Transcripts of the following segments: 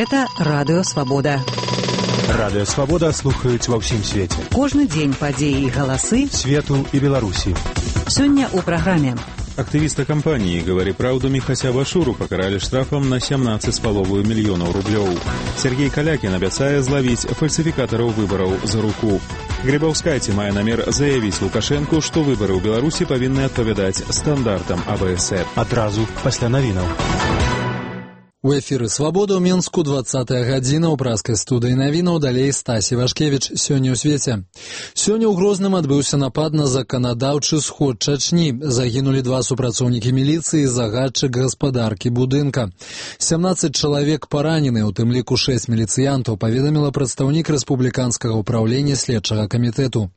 Гэта Радыё Свабода. Радыё Свабода слухаюць ва ўсім свеце. Кожны дзень падзеі і галасы свету і Беларусі. Сёння ў праграме. Активиста компании «Говори правду» Михася Башуру покарали штрафом на 17,5 миллионов рублей. Сергей Калякин обещает зловить фальсификаторов выборов за руку. Грибаўскайце мае намер заявіць Лукашенку, што выборы ў Беларусі павінны адпавядаць стандартам АБС. Адразу пасля навінаў. У эфіры «Свабода» ў Мінску 20-я гадзіна ў праскай студыі навінаў, далей Стасі Вашкевіч. Сёння ў свеце. Сёння ў Грозным адбыўся напад на заканадаўчы сход Чачні. Загінулі 2 супрацоўнікі міліцыі і загадчык гаспадаркі будынка. 17 чалавек паранены, у тым ліку 6 міліцыянтаў, паведаміла прадстаўнік рэспубліканскага ўпраўлення следчага камітэту.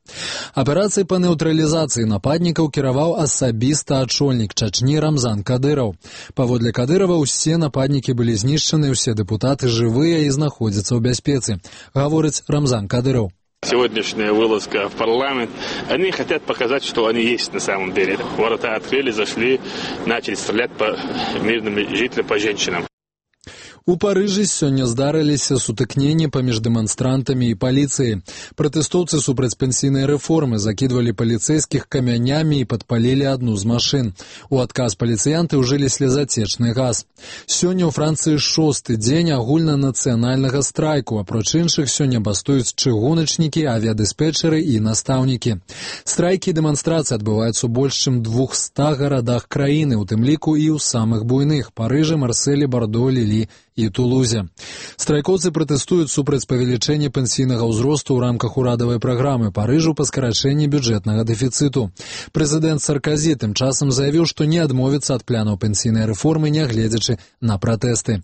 Аперацыяй па нейтралізацыі нападнікаў кіраваў асабіста ачольнік Чачні Рамзан Кадыраў. Паводле Кадырова ўсе нападнікі были знищены, все депутаты живые и находятся в бяспецы, говорит Рамзан Кадыров. Сегодняшняя вылазка в парламент, они хотят показать, что они есть на самом деле. Ворота открыли, зашли, начали стрелять по мирным жителям, по женщинам. У Парыжы сёння здарыліся сутыкненні паміж дэманстрантамі і паліцыяй. Пратэстоўцы супраць пенсійнай рэформы закідвалі паліцэйскіх камянямі і падпалілі адну з машын. У адказ паліцыянты ўжылі слезацечны газ. Сёння ў Францыі 6-ты дзень агульнанацыянальнага страйку, апроч іншых сёння бастуюць чыгуначнікі, авіядыспетчары і настаўнікі. Страйкі і дэманстрацыі адбываюцца ў больш чым 200 гарадах краіны, у тым ліку і ў самых буйных – Парыжы, Марселі, Бардо, Лілі і Тулузе. Страйкоўцы пратэстуюць супраць павелічэння пенсійнага ўзросту ў рамках урадавай праграмы Парыжу па скарачэнні бюджэтнага дэфіцыту. Прэзідэнт Сарказі тым часам заявіў, што не адмовіцца ад планаў пенсійнай рэформы, нягледзячы на пратэсты.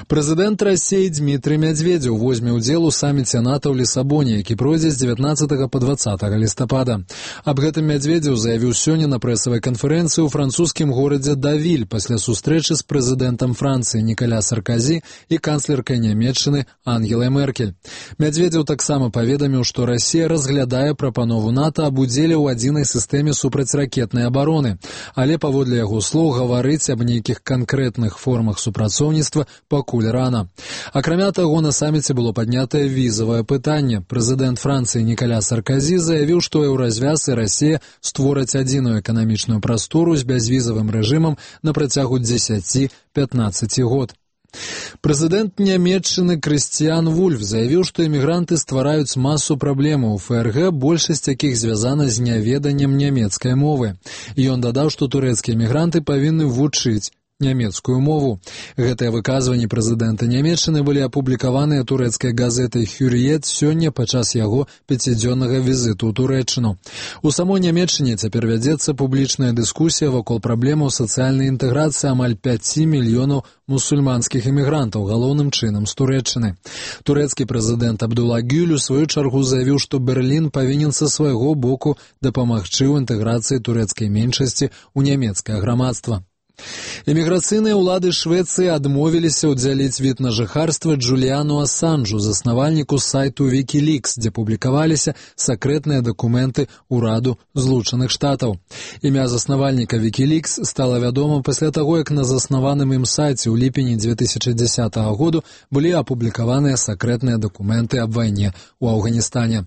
Прэзідэнт Расіі Дмітрый Мядзведзеў возьме ўдзел у саміце НАТО ў Лісабоне, які пройдзе з 19 па 20 лістапада. Аб гэтым Мядзведзеў заявіў сёння на прэсавай канферэнцыі ў французскім горадзе Давіль пасля сустрэчы з прэзідэнтам Францыі Нікаля Сарказі і канцлеркай Нямецчыны Ангелай Меркель. Мядзведзеў таксама паведаміў, што Расія разглядае прапанову НАТО аб удзеле ў адзінай сістэме супрацьракетнай абароны, але паводле яго слоў гаварыць аб нейкіх канкрэтных формах супрацоўніцтва пакуль рана. Акрамя таго, на саміце было паднятае візавае пытанне. Прэзідэнт Францыі Нікаля Сарказі заявіў, што Еўразвяз і Расія створаць адзіную эканамічную прастору з бязвізавым рэжымам на працягу 10-15 год. Прэзідэнт Нямецчыны Крыстіян Вульф заявіў, што эмігранты ствараюць масу праблемаў у ФРГ, большасць якіх звязана з няведаннем нямецкай мовы. І ён дадаў, што турэцкія эмігранты павінны вучыць нямецкую мову. Гэтыя выказванні прэзідэнта Нямецчыны былі апублікаваныя турэцкай газетай «Хюрриет» сёння падчас яго 5-дзённага візіту ў Турэччыну. У самой Нямецчыне цяпер вядзецца публічная дыскусія вакол праблемаў сацыяльнай інтэграцыі амаль 5 мільёнаў мусульманскіх эмігрантаў, галоўным чынам з Турэччыны. Турэцкі прэзідэнт Абдулла Гюль у сваю чаргу заявіў, што Берлін павінен са свайго боку дапамагчы ў інтэграцыі турэцкай меншасці ў нямецкае грамадства. Эміграцыйныя ўлады Швецыі адмовіліся ўдзяліць від на жыхарства Джуліану Асанжу, заснавальніку сайту Wikileaks, дзе публікаваліся сакрэтныя дакументы ўраду Злучаных Штатаў. Імя заснавальніка Wikileaks стала вядома пасля таго, як на заснаваным ім сайце ў ліпені 2010 году былі апублікаваныя сакрэтныя дакументы аб вайне ў Афганістане.